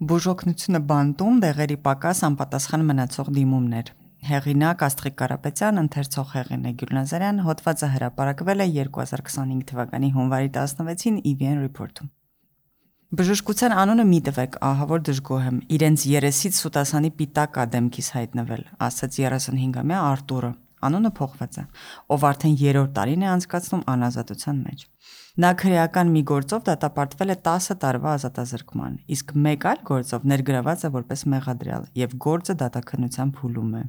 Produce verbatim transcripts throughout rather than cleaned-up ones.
Բուժօգնությունը բանտում դեղերի պակաս անպատասխան մնացող դիմումներ։ Հեղինակ Աստղիկ Կարապետյան, ընթերցող Հեղինե Գյուլնազարյան, հոդվածը հրապարակվել է երկու հազար քսանհինգ թվականի հունվարի տասնվեցին ի վի են Report-ում։ Բժշկության անունը մի տվեք, ահա որ դժգոհ եմ, իրենց երեսից սուտասանի պիտակ ա դեմքիս հայտնվել, ասաց երեսունհինգամյա Արտուրը, անունը փոխված է, ով արդեն երրորդ տարին է անցկացնում անազատության մեջ։ Նա քրեական մի գործով դատապարտվել է տասը տարվա ազատազրկման, իսկ մեկ այլ գործով ներգրաված է որպես մեղադրյալ եւ գործը դատաքննության փուլում է։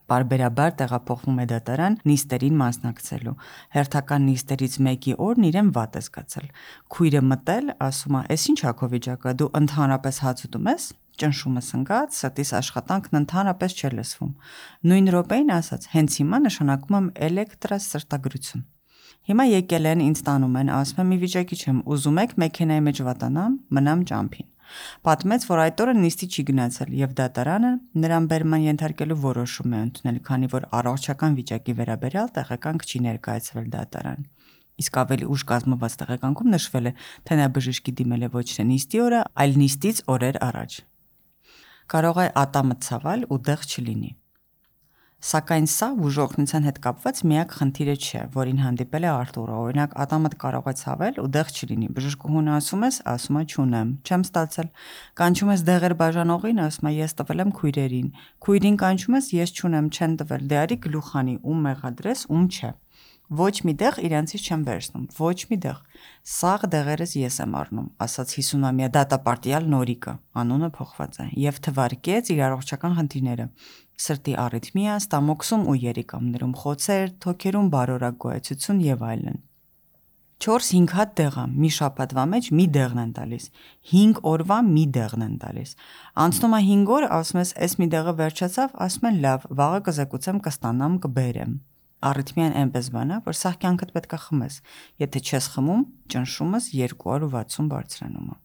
Բարբերաբար տեղափոխվում է դատարան նիստերին մասնակցելու։ Հերթական նիստերից մեկի օրն իրեն վատ է զգացել։ Քույրը մտել, ասում է. «Էս ինչ ա քո վիճակը, դու ընդհանրապես հաց ուտում ես»։ Ճնշումը սնգած, սրտիս աշխատանքն ընդհանրապես չէ լսվում։ Նույն րոպեին ասաց. «Հենց հիմա նշանակում եմ էլեկտրասրտագրություն»։ Հիմա եկել են, ինձ տանում են, ասում եմ՝ մի վիճակի չեմ, ուզում եք մեքենայի մեջ վատանամ, մնամ ճամփին։ Պատմեց, որ այդ օրը նիստի չի գնացել եւ դատարանը նրան բերման ենթարկելու որոշում է ընդունել, քանի որ առողջական վիճակի վերաբերյալ տեղեկանք չի ներկայացվել դատարան։ Իսկ ավելի ուշ կազմված տեղեկանքում նշվել է, թե նա բժշկի դիմել է ոչ թե նիստի օրը, այլ նիստից օրեր առաջ։ Կարող է ատամը ցավել ու դեղ չլինի։ Սակայն սա բուժօգնության հետ կապված միակ խնդիրը չէ, որին հանդիպել է Արտուրը։ Օրինակ, ատամդ կարող է ցավել ու դեղ չլինի։ Բժշկուհուն ասում ես, ասում է չունեմ, չեմ ստացել։ Կանչում ես դեղեր բաժանողին, ասում է ես տվել եմ քույրերին։ Քույրին կանչում ես, ես չունեմ, չեն տվել։ Դե արի գլուխանի, ում մեղադրես, ում չէ։ Ոչ մի դեղ իրանցից չեմ վերցնում, ոչ մի դեղ։ Սաղ դեղերս ես եմ առնում, ասաց հիսունամյա դատապարտյալ Նորիկը, անունը փոխված է, եւ թվարկեց իր առողջական խնդիրները՝ սրտի արիթմիա, ստամոքսում ու երիկամներում խոցեր, թոքերում բարորակ գոյացություն եւ այլն։ չորս-հինգ հատ դեղ ա, մի շաբաթվա մեջ մի դեղն են տալիս, հինգ օրվա մի դեղն են տալիս։ Անցնում է հինգ օր, ասում ես, էս մի դեղը վերջացավ, ասում են լավ, վաղը կզեկուցեմ, կստանամ, կբերեմ։ Արիթմիան այնպես բան է, որ սաղ կյանքդ պետք է խմես, եթե չես խմում, ճնշումս երկու հարյուր վաթսուն բարձրանում է։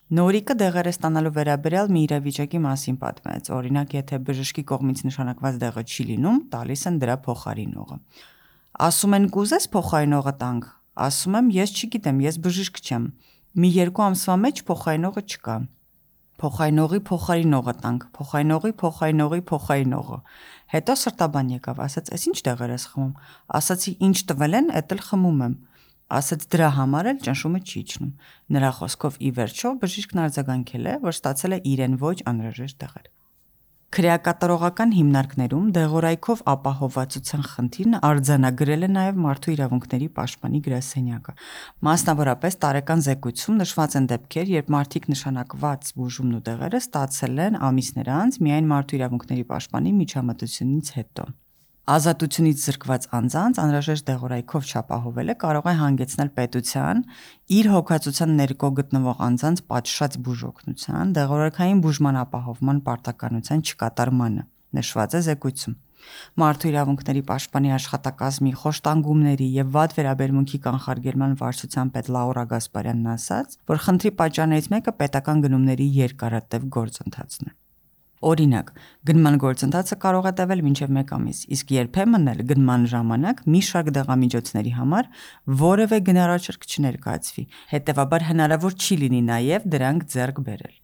Նորիկը դեղերը ստանալու վերաբերյալ մի իրավիճակի մասին պատմեց, օրինակ, եթե բժշկի կողմից նշանակված դեղը չի լինում, տալիս են դրա փոխարինողը։ Ասում են կուզես փոխարինողը տանք, ասում եմ ես չգիտեմ, ես բժիշկ չեմ, մի երկու ամսվա մեջ փոխարինողը չկա։ Փոխարինողի փոխարինողը տանք, փոխարինողի փոխարինողի փոխարինողը։ Հետո սրտաբան եկավ, ասաց, «Էս ինչ դեղեր ես խմում»։ Ասացի, «Ինչ տվել են, էդ էլ խմում եմ»։ Ասաց, «Դրա համար էլ ճնշումը չի իջնում»։ Նրա խոսքով ի վերջո բժիշկն արձագանքել է, որ ստացել է իրեն ոչ անհրաժեշտ դեղեր։ Քրեակատարողական հիմնարկներում դեղորայքով ապահովվածության խնդիրն արձանագրել է նաև Մարդու իրավունքների պաշտպանի գրասենյակը։ Մասնավորապես տարեկան զեկույցում նշված են դեպքեր, երբ մարդիկ նշանակված բուժումն ու դեղերը ստացել են ամիսներ անց միայն Մարդու իրավունքների պաշտպանի միջամտությունից հետո։ Ազատությունից զրկված անձանց անհրաժեշտ դեղորայքով չապահովելը կարող է հանգեցնել պետության իր հոգացության ներքո գտնվող անձանց պատշաճ բուժօգնության, դեղորայքային բուժման ապահովման պարտականության չկատարմանը, նշված է զեկույցում։ Մարդու իրավունքների պաշտպանի աշխատակազմի խոշտանգումների եւ վատ վերաբերմունքի կանխարգելման վարչության պետ Լաուրա Գասպարյանն ասաց, որ խնդրի պատճառներից մեկը պետական գնումների երկարատև գործընթացն է։ Օրինակ, գնման գործընթացը կարող է տևել մինչև մեկ ամիս, իսկ երբեմն էլ գնման ժամանակ մի շարք դեղամիջոցների համար որևէ գնարաշարք չներկայացվի, հետևաբար հնարավոր չի լինի նաև դրանք ձեռք բերել։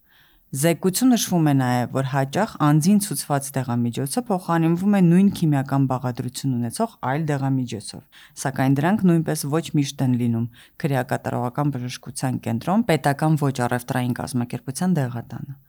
Զեկույցում նշվում է նաև, որ հաճախ անձին ցուցված դեղամիջոցը փոխանցվում է նույն քիմիական բաղադրություն ունեցող այլ դեղամիջոցով, սակայն դրանք նույնպես ոչ միշտ են լինում քրեակատարողական բժշկության կենտրոն պետական ոչ առևտրային կազմակերպության դեղատանը։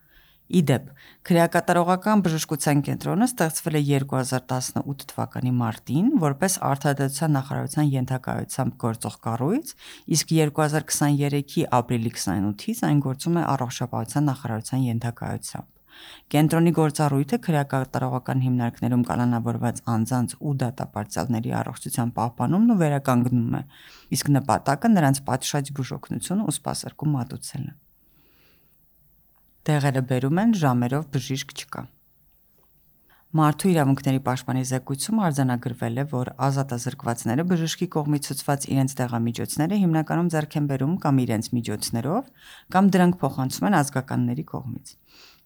Իդեպ, քրեակատարողական բժշկության կենտրոնը ստեղծվել է երկու հազար տասնութ թվականի մարտին որպես Արդարադատության նախարարության ենթակայությամբ գործող կառույց, իսկ երկու հազար քսաներեքի ապրիլի քսանութից այն գործում է Առողջապահության նախարարության ենթակայությամբ։ Կենտրոնի գործառույթը քրեակատարողական հիմնարկներում կալանավորված անձանց ու դատապարտյալների առողջության պահպանումն ու վերականգնումն է, իսկ նպատակը նրանց պատշաճ բուժօգնություն ու սպասարկում մատուցելն է։ Դեղերը բերում են, ժամերով բժիշկ չկա։ Մարդու իրավունքների պաշտպանի զեկույցում արձանագրվել է, որ ազատազրկվածները բժշկի կողմից ցուցված իրենց դեղամիջոցները հիմնականում ձեռք են բերում կամ իրենց միջոցներով, կամ դրանք փոխանցում են ազգականների կողմից։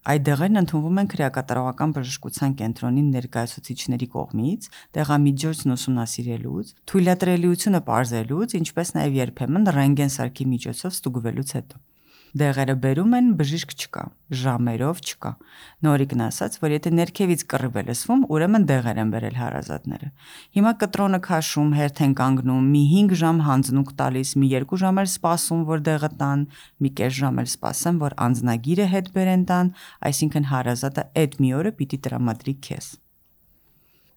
Այդ դեղերն ընդունվում են քրեակատարողական բժշկության կենտրոնի ներկայացուցիչների կողմից, դեղամիջոցն ուսումնասիրելուց, թույլատրելիությունը պարզելուց, ինչպես նաև երբեմն ռենտգեն սարքի միջոցով ստուգվելուց հետո։ Դեղերը բերում են, բժիշկ չկա, ժամերով չկա։ Նորիկն ասաց, որ եթե ներքևից կռիվ է լսվում, ուրեմն դեղեր են բերել հարազատները։ Հիմա կտրոնը քաշում, հերթ են կանգնում, մի հինգ ժամ հանձնուկ տալիս, մի երկու ժամ էլ սպասում, որ դեղը տան, մի կես ժամ էլ սպասեմ, որ անձնագիրը հետ բերեն տան, այսինքն հարազատը այդ մի օրը պիտի տրամադրի քեզ։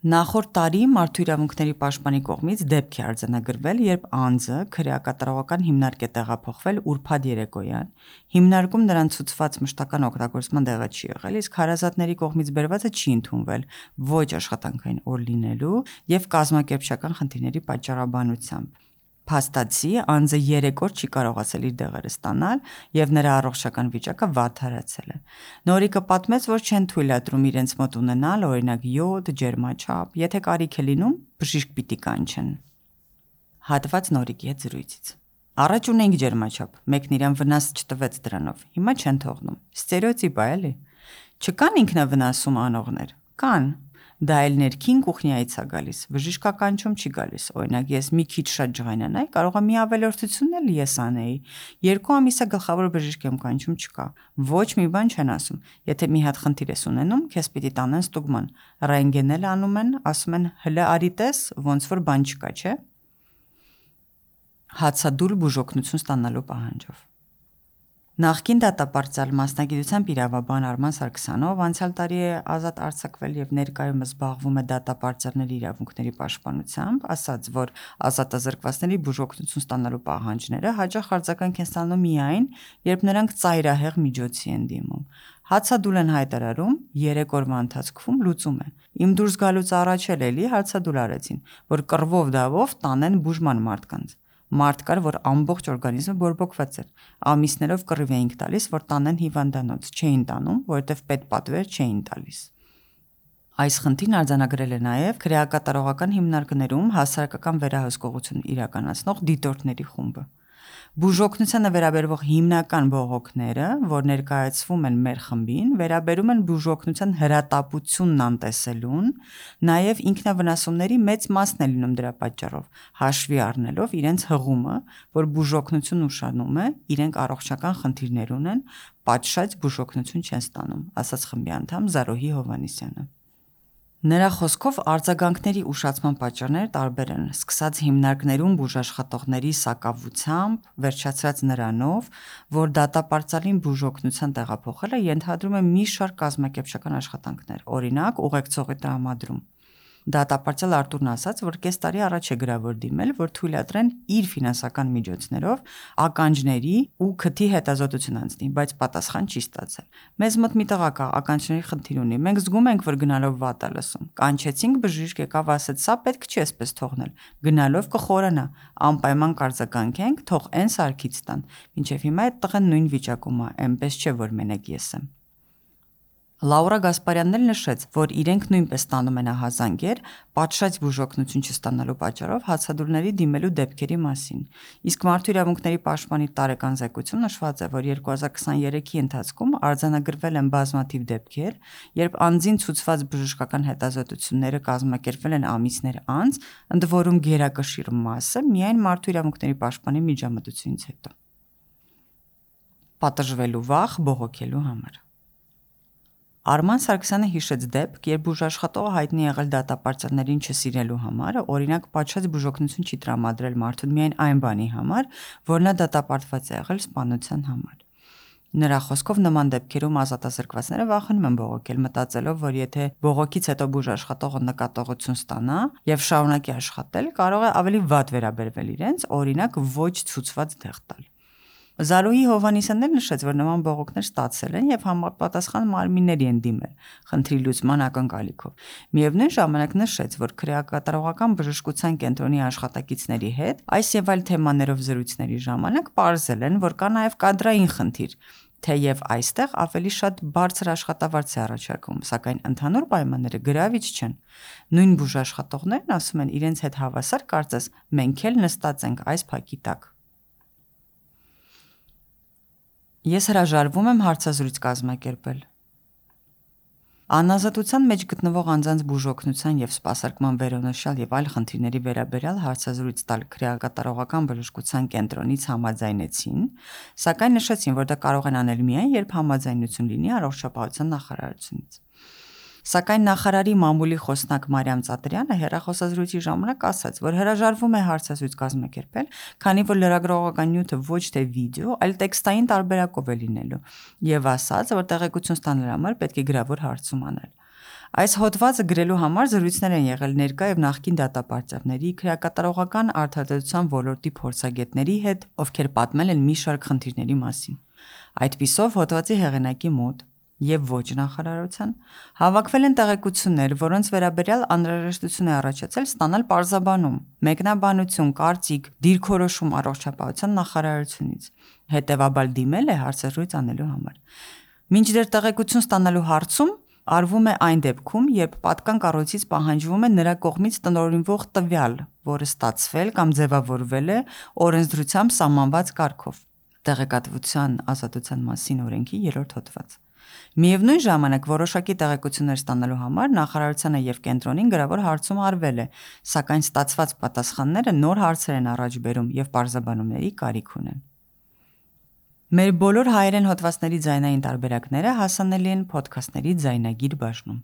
Նախորդ տարի Մարդու իրավունքների պաշտպանի կողմից դեպք է արձանագրվել, երբ անձը քրեակատարողական հիմնարկ է տեղափոխվել ուրբաթ երեկոյան, հիմնարկում նրան ցուցված մշտական օգտագործման դեղը չի եղել, իսկ հարազատների կողմից բերվածը չի ընդունվել ոչ աշխատանքային օր լինելու եւ կազմակերպչական խնդիրների պատճառաբանությամբ։ Փաստացի անձը երեք օր չի կարողացել իր դեղերը ստանալ եւ նրա առողջական վիճակը վատթարացել է։ Նորիկը պատմեց, որ չեն թույլատրում իրենց մոտ ունենալ օրինակ յոդ, ջերմաչափ, եթե կարիք է լինում, բժիշկ պիտի կանչեն։ Հատված Նորիկի հետ զրույցից։ Առաջ ունենք ջերմաչափ, մեկն իրան վնաս չտվեց դրանով, հիմա չեն թողնում։ Ստերեոտիպ է, էլի։ Չկան ինքնավնասում անողներ։ Կան։ Դա էլ ներքին կուխնյայից է գալիս, բժշկականչում չի գալիս, օրինակ ես մի քիչ շատ ջղայնանայի, կարող է մի ավելորդություն էլ ես անեի, երկու ամիս է գլխավոր բժիշկ եմ կանչում չկա, ոչ մի բան չեն ասում, եթե մի հատ խնդիր ես ունենում, քեզ պիտի տանեն ստուգման, ռենտգեն էլ անում են, ասում են հլը արի տես, ոնց որ բան չկա, չէ։ Հացադուլ բուժօգնություն ստանալու պահանջով։ Նախկին դատապարտյալ մասնագիտությամբ իրավաբան Արման Սարգսյանով անցյալ տարի է ազատ արձակվել եւ ներկայումս զբաղվում է դատապարտյալների իրավունքների պաշտպանությամբ, ասաց, որ ազատազրկվածների բուժօգնություն ստանալու պահանջները հաճախ արձագանք են ստանում միայն, երբ նրանք ծայրահեղ միջոցի են դիմում։ Հացադուլ են հայտարարում, երեք օրվա ընթացքում լուծում է։ Իմ դուրս գալուց առաջ էլ էլի հացադուլ արեցին, որ կռվով դավով տանեն բուժման մարդկանց։ Մարդ կար, որ ամբողջ օրգանիզմը բորբոքված էր։ Ամիսներով կռիվ էինք տալիս, որ տանեն հիվանդանոց, չէին տանում, որովհետև պետպատվեր չէին տալիս։ Այս խնդիրն արձանագրել է նաև քրեակատարողական հիմնարկներում հասարակական վերահսկողություն իրականացնող դիտորդների խումբը։ Բուժօգնությանը վերաբերվող հիմնական բողոքները, որ ներկայացվում են մեր խմբին, վերաբերում են բուժօգնության հրատապությունն անտեսելուն, նաև ինքնավնասումների մեծ մասն է լինում դրա պատճառով, հաշվի առնելով իրենց հղումը, որ բուժօգնություն ուշանում է, իրենք առողջական խնդիրներ ունեն, պատշաճ բուժօգնություն չեն ստանում, ասաց խմբի անդամ Զարոհի Հովհաննիսյանը։ Նրա խոսքով արձագանքների ուշացման պատճառները տարբեր են, սկսած հիմնարկներում բուժաշխատողների սակավությամբ, վերջացրած նրանով, որ դատապարտյալին բուժօգնության տեղափոխելը ենթադրում է մի շարք կազմակերպչական աշխատանքներ, օրինակ ուղեկցողի տրամադրում։ Դատապարտյալ Արտուրն ասաց, որ կես տարի առաջ է գրավոր դիմել, որ թույլատրեն իր ֆինանսական միջոցներով ականջների ու քթի հետազոտություն անցնի, բայց պատասխան չի ստացել։ Մեզ մոտ մի տղա կա, ականջների խնդիր ունի, մենք զգում ենք, որ գնալով վատ է լսում։ Կանչեցինք բժիշկ, եկավ ասեց, սա պետք չի էսպես թողնել, գնալով կխորանա, անպայման կարձագանքենք, թող այն սարքից տան։ Մինչև հիմա այդ տղան նույն վիճակում է, այնպես չէ, որ մենակ ես եմ։ Լաուրա Գասպարյանն էլ նշեց, որ իրենք նույնպես ստանում են ահազանգեր, պատշաճ բուժօգնություն չստանալու պատճառով հացադուլների դիմելու դեպքերի մասին։ Իսկ Մարդու իրավունքների պաշտպանի տարեկան զեկույցում նշված է, որ երկու հազար քսաներեքի ընթացքում արձանագրվել են բազմաթիվ դեպքեր, երբ անձին ցուցված բժշկական հետազոտությունները կազմակերպվել են ամիսներ անց, ընդ որում գերակշիռ մասը միայն Մարդու իրավունքների պաշտպանի միջամտությունից հետո։ Պատժվելու վախ բողոքելու համար։ Արման Սարգսյանը հիշեց դեպք, երբ բուժաշխատողը հայտնի եղել դատապարտյալներին չսիրելու համար, օրինակ պատշաճ բուժօգնություն չի տրամադրել մարդուն միայն այն բանի համար, որ նա դատապարտված է եղել սպանության համար։ Նրա խոսքով նման դեպքերում ազատազրկվածները վախենում են բողոքել, մտածելով, որ եթե բողոքից հետո բուժաշխատողը նկատողություն ստանա եւ շարունակի աշխատել, կարող է ավելի վատ վերաբերվել իրենց, օրինակ ոչ ցուցված դեղ տալ։ Զարոհի Հովհաննիսյանն էլ նշեց, որ նման բողոքներ ստացել են եւ համապատասխան մարմինների են դիմել խնդրի լուծման ակնկալիքով։ Միևնույն ժամանակ նշեց, որ քրեակատարողական բժշկության կենտրոնի աշխատակիցների հետ այս եւ այլ թեմաներով զրույցների ժամանակ պարզել են, որ կա նաեւ կադրային խնդիր, թեև այստեղ ավելի շատ բարձր աշխատավարձ է առաջարկում, սակայն ընդհանուր պայմանները գրավիչ չեն։ Նույն բուժաշխատողներն ասում են, իրենց հետ հավասար կարծես մենք էլ նստած ենք այս փակի տակ։ Ես հրաժարվում եմ հարցազրույց կազմակերպել։ Անազատության մեջ գտնվող անձանց բուժօգնության և սպասարկման վերոնշյալ և այլ խնդիրների վերաբերյալ հարցազրույց տալ քրեակատարողական բժշկության կենտրոնից համաձայնեցին, սակայն նշեցին, որ դա կարող են անել միայն, երբ համաձայնություն լինի առողջապահության նախարարությունից։ Սակայն նախարարի մամուլի խոսնակ Մարիամ Ծատրյանը հեռախոսազրույցի ժամանակ ասաց, որ հրաժարվում է հարցազրույց կազմակերպել, քանի որ լրագրողական նյութը ոչ թե վիդեո, այլ տեքստային տարբերակով է լինելու, և ասաց, որ տեղեկություն ստանալու համար պետք է գրավոր հարցում անել։ Այս հոդվածը գրելու համար զրույցներ են եղել ներկա և նախկին դատապարտյալների, քրեակատարողական արդարադատության ոլորտի փորձագետների հետ, ովքեր պատմել են մի շարք խնդիրների մասին։ Այդպիսով, հոդվածի հեղինակի մոտ և ոչ նախարարության հավաքվել են տեղեկություններ, որոնց վերաբերյալ անհրաժեշտություն է առաջացել ստանալ պարզաբանում, մեկնաբանություն, կարծիք, դիրքորոշում առողջապահության նախարարությունից, հետևաբար դիմել է հարցազրույց անելու համար։ Մինչդեռ տեղեկություն ստանալու հարցում արվում է այն դեպքում, երբ պատկան կառույցից պահանջվում է նրա կողմից տնօրինվող տվյալ, որը ստացվել կամ ձևավորվել է օրենսդրությամբ սահմանված կարգով (Տեղեկատվության ազատության մասին օրենքի երրորդ հոդված)։ Միևնույն ժամանակ, որոշակի տեղեկություններ ստանալու համար նախարարությանը և կենտրոնին գրավոր հարցում արվել է, սակայն ստացված պատասխանները նոր հարցեր են առաջ բերում և պարզաբանումների կարիք ունեն։ Մեր բոլոր հայերեն հոդվածների ձայնային տարբերակները հասանելի են փոդքասթների ձայնագիր բաժնում։